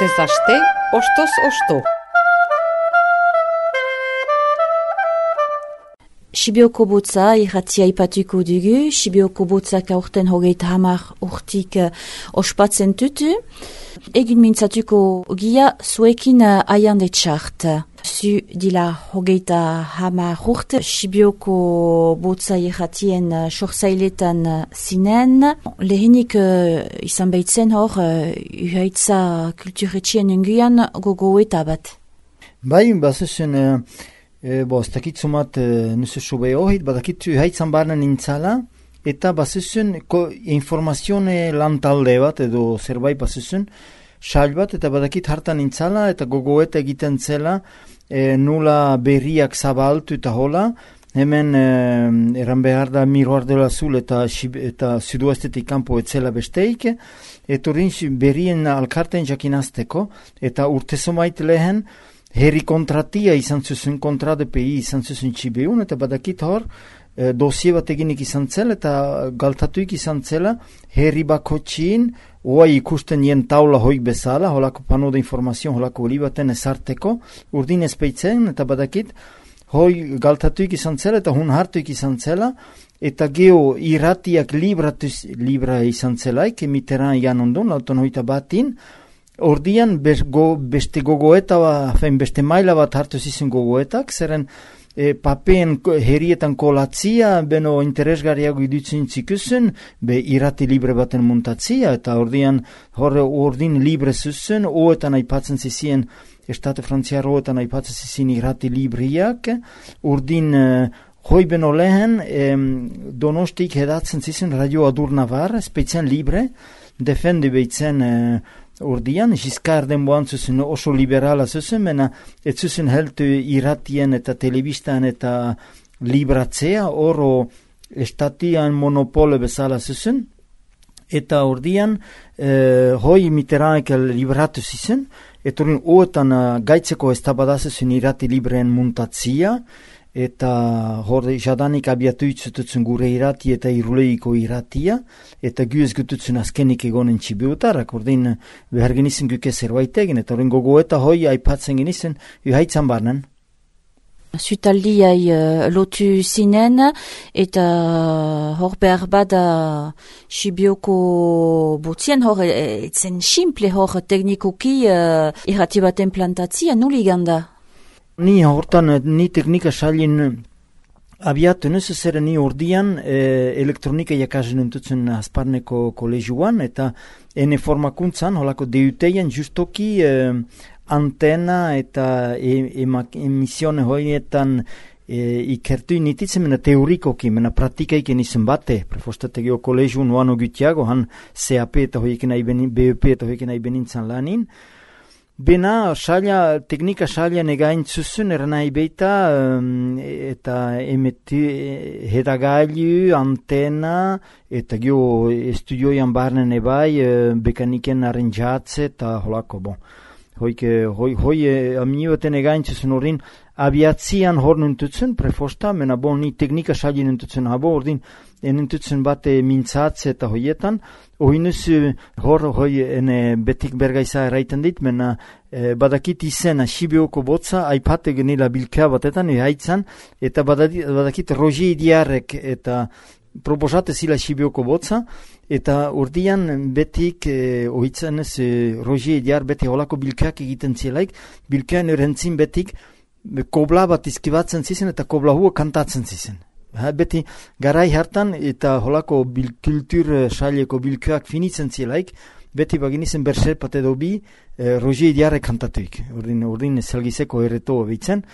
Astez aste, ostoz osto. Sibioko botza irratia ipatuko dugu. Sibioko botzak aurten 30 urtik ospatzen tutu. Egun mintzatuko gia zuekin aian etxart. Zu dila 30 urte. Sibioko botza irratien sorsailetan zinen. Lehenik izan behitzen hor uhaitza kulturetxien unguian gogoeta bat. Bai, bazuzen... ez dakit zumat nusu sube ohit, badakit haitzan barnen nintzala, eta bazizun informazione lantalde bat, edo zerbait bazizun, sail bat, eta badakit hartan nintzala, eta gogoeta egiten zela, nula berriak zabaltu eta hola, hemen eran behar da Miroir de l'Azul eta Sudoestetik kanpo etzela besteik, eta horrin berrien alkarten jakinazteko, eta urtezomait lehen, herri kontratia izan zuzun, kontra de PI izan zuzun Txibeun, eta badakit hor, dosie bat eginik izan zela, eta galtatuik izan zela, herri bako txin, oa ikusten jen taula hoik bezala, holako pano de informazion, holako olibaten ezarteko, urdin ezpeitzen, eta badakit, hoi galtatuik izan zela, eta hun hartuik izan zela, eta geho irratiak libra izan zelaik, Mitterrand ian ondon, lauton hoita batin, ordian beste gogoeta, beste maila bat hartu zizun gogoetak, zeren papeen herrietan kolatzia, beno interesgarriago idutzen zikusen, be irrati libre baten muntatzia, eta ordian ordin libre zuzun, oetan aipatzen zizien, Estate Frantziar oetan aipatzen zizien irrati libriak, ordin hoi beno lehen, Donostik hedatzen zizien Radio Adur Navar, spezian libre, defende behitzen ordian, Giscard denboan zuzen oso liberala zuzen, mena ez zuzen heltu irratien eta telebistan eta libratzea, oro estatian monopole bezala zuzen, eta ordian hoi Mitterrandek libratu zuzen, eta ordian oetan gaitzeko eztabada zuzen irrati libreen muntatzia, eta hor jadanik abiatu itzututzen gure irrati eta iruleiko irratia, eta gu ez gututzen azkenik egonen Txibiutarrak, ordin behar genizen guke zerbait egin, eta ordin gogoeta hoi aipatzen genizen, haitzan barnen. Zutaldiai lotu zinen, eta hor behar bada Sibioko botzien hor, etzen simple hor teknikoki irrati baten plantatzia, nuli ganda? Ni hortan, ni teknika sailin abiatu nuzu zer ni ordian elektronika jakasen entutzen Azparneko kolegiuan, eta ene formakuntzan, holako DUT-ean justoki antena eta emisione hoietan ikertu inititzen, mena teorikoki, mena praktikaik enizen bate, prefostategio kolegiu nuano gutiago, han CAP eta hoieken BEP eta hoieken benintzan lanin, bena teknika saila negain zuzun eranai beita eta hedagailu, antena eta gio estudioian barnen ebai bekaniken arranjatze eta holako bon. Hoi amnioten egain zuzun horrin abiatzian hor nintutzen prefosta, mena bon ni teknika saila nintutzen habo ordin nintutzen bate mintzatze eta hoietan, oinuz hoi betik bergaiza eraiten dit, mena badakit izena Sibioko botza, aipate genila bilkea batetan, haitzan, eta badakit Roger Diarrek eta proposate zila Sibioko botza, eta urdian betik ohitzen ez Roger Diar beti holako bilkeak egiten zielaik, bilkean erentzin betik kobla bat izkibatzen zizen eta kobla hua kantatzen zizen. Beti garai hartan eta holako kultur saileko bilkeak finitzen zielaik, beti baginizen berserpat edo bi Roger Diarrek kantatuik, urdin zelgizeko erreto behitzen.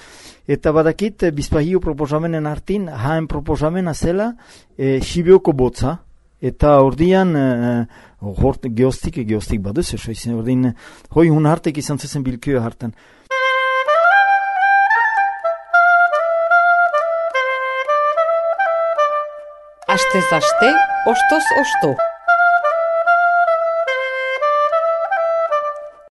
Eta badakit, bizpahio proposamenen hartin, haen proposamena zela Sibioko botza, eta ordian geostik baduz, ordin hoi hun hartek izan zuzen bilkeo hartan. Astez aste, ostoz osto.